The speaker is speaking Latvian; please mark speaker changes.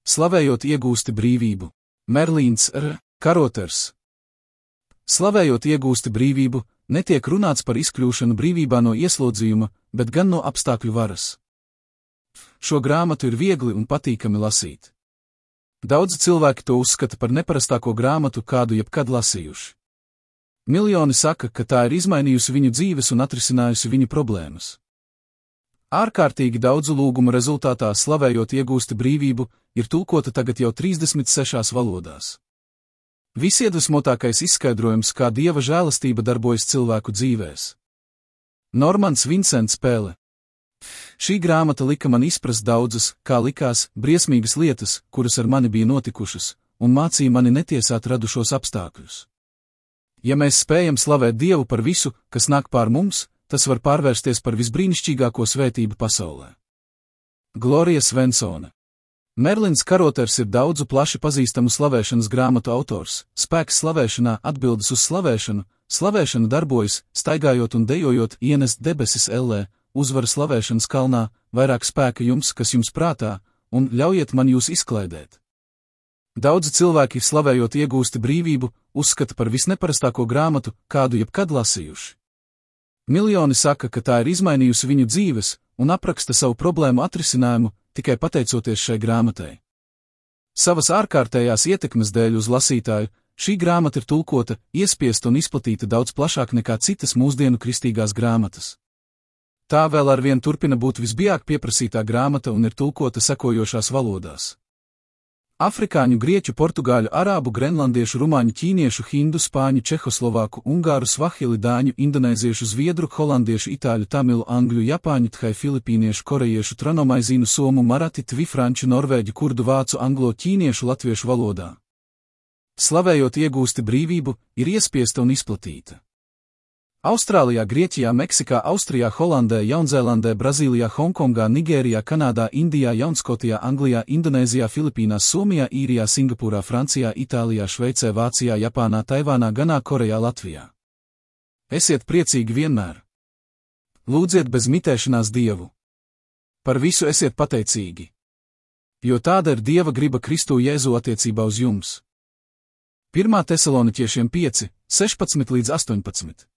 Speaker 1: Slavējot iegūsti brīvību. Merlīns R. Karoters. Slavējot iegūsti brīvību, netiek runāts par izkļūšanu brīvībā no ieslodzījuma, bet gan no apstākļu varas. Šo grāmatu ir viegli un patīkami lasīt. Daudzi cilvēki to uzskata par neparastāko grāmatu, kādu jebkad lasījuši. Miljoni saka, ka tā ir izmainījusi viņu dzīves un atrisinājusi viņu problēmas. Ārkārtīgi daudzu lūgumu rezultātā Slavējot iegūsti brīvību ir tulkota tagad jau 36 valodās. Visiedvesmotākais izskaidrojums, kā Dieva žēlastība darbojas cilvēku dzīvēs. Normans Vincents Pēle. Šī grāmata lika man izprast daudzas, kā likās, briesmīgas lietas, kuras ar mani bija notikušas, un mācīja mani netiesāt radušos apstākļus. Ja mēs spējam slavēt Dievu par visu, kas nāk pār mums, tas var pārvērsties par visbrīnišķīgāko svētību pasaulē. Glorija Svensone. Merlins Karoters ir daudzu plaši pazīstamu slavēšanas grāmatu autors. Spēks slavēšanā, atbildes uz slavēšanu, slavēšana darbojas, staigājot un dejojot, ienest debesis ellē, uzvara slavēšanas kalnā, vairāk spēka jums, kas jums prātā, un ļaujiet man jūs izklaidēt. Daudzi cilvēki, slavējot iegūsti brīvību, uzskata par visneparastāko grāmatu, kādu jebkad lasījuši. Miljoni saka, ka tā ir izmainījusi viņu dzīves un apraksta savu problēmu atrisinājumu tikai pateicoties šai grāmatai. Savas ārkārtējās ietekmes dēļ uz lasītāju, šī grāmata ir tulkota, iespiesta un izplatīta daudz plašāk nekā citas mūsdienu kristīgās grāmatas. Tā vēl arvien turpina būt visbiežāk pieprasītā grāmata un ir tulkota sekojošās valodās. Afrikāņu, grieķu, portugāļu, arābu, grenlandiešu, rumāņu, ķīniešu, hindu, spāņu, čehoslovāku, ungāru, svahili, dāņu, indonēziešu, zviedru, holandiešu, itāļu, tamilu, angļu, japāņu, thai, filipīniešu, korejiešu, tranomaizīnu, somu, marati, tvi, franču, norvēģu, kurdu, vācu, anglo, ķīniešu, latviešu valodā. Slavējot iegūsti brīvību, ir iespiesta un izplatīta. Austrālijā, Grieķijā, Meksikā, Austrijā, Holandē, Jaunzēlandē, Brazīlijā, Hongkongā, Nigērijā, Kanādā, Indijā, Jaunskotijā, Anglijā, Indonēzijā, Filipīnās, Somijā, Īrijā, Singapūrā, Francijā, Itālijā, Šveicē, Vācijā, Japānā, Taivānā, Ganā, Korejā, Latvijā. Esiet priecīgi vienmēr. Lūdziet bez mitēšanās Dievu. Par visu esiet pateicīgi. Jo tāda ir Dieva griba Kristu Jēzu attiecībā uz jums. 1. Tesaloniķiešiem 5, 16 līdz 18.